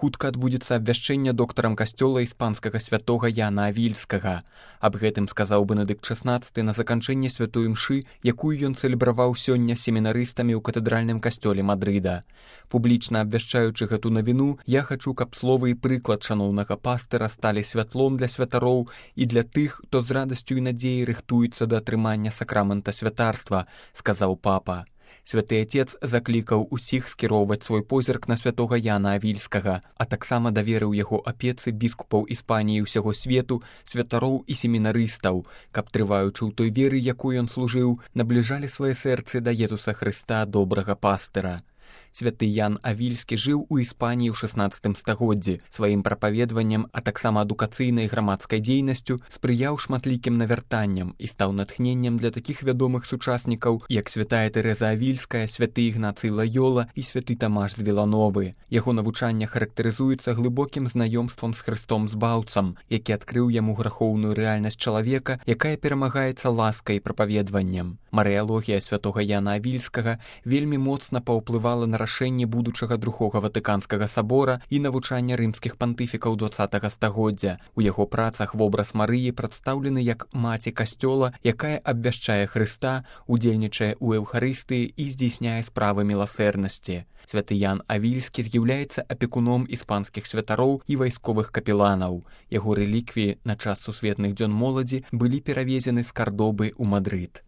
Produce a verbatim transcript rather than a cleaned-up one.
хутка адбудзецца абвяшчэнне доктарам касцёла іспанскага святога Яна Авільскага. Аб гэтым сказаў Бенедыкт шаснаццаты на заканчэнне святой імшы, якую ён цэлебраваў сёння семінарыстамі ў катэдральным касцёле Мадрыда. Публічна абвяшчаючы гэту навіну, я хачу, каб словы і прыклад шаноўнага пастыра сталі святлом для святароў і для тых, хто з радасцю і надзеяй рыхтуецца да атрымання сакрамента святарства, сказаў папа. Святы Отец заклікаў усіх скіроўваць свой позірк на святога Яна Авільскага, а таксама даверыў яго апецы біскупаў Іспаніі ўсяго свету, святароў і семінарыстаў, каб, трываючы ў той веры, якой ён служыў, набліжалі свае сэрцы да Езуса Хрыста, добрага пастыра. Святы Ян Авільскі жыў у Іспаніі ў шаснаццатым стагоддзі. Сваім прапаведваннем, а таксама адукацыйнай грамадскай дзейнасцю спрыяў шматлікім навяртанням і стаў натхненнем для такіх вядомых сучаснікаў, як святая Тэрэза Авільская, святы Ігнацый Лайола і святы Тамаш з Вілановы. Яго навучанне характарызуецца глыбокім знаёмствам з Хрыстом Збаўцам, які адкрыў яму грахоўную рэальнасць чалавека, якая перамагаецца ласкай і прапаведваннем. Марыялогія святога Яна Авільскага вельмі моцна паўплывала на рашэнне будучага другога Ватыканскага сабора і навучання рымскіх пантыфікаў дваццатага стагоддзя. У яго працах вобраз Марыі прадстаўлены як маці касцёла, якая абвяшчае Хрыста, удзельнічае ў эўхарыстыі і здзейсняе справы міласэрнасці. Святы Ян Авільскі з'яўляецца апекуном іспанскіх святароў і вайсковых капеланаў. Яго рэліквіі на час сусветных дзён моладзі былі перавезены з Кардобы ў Мадрыд.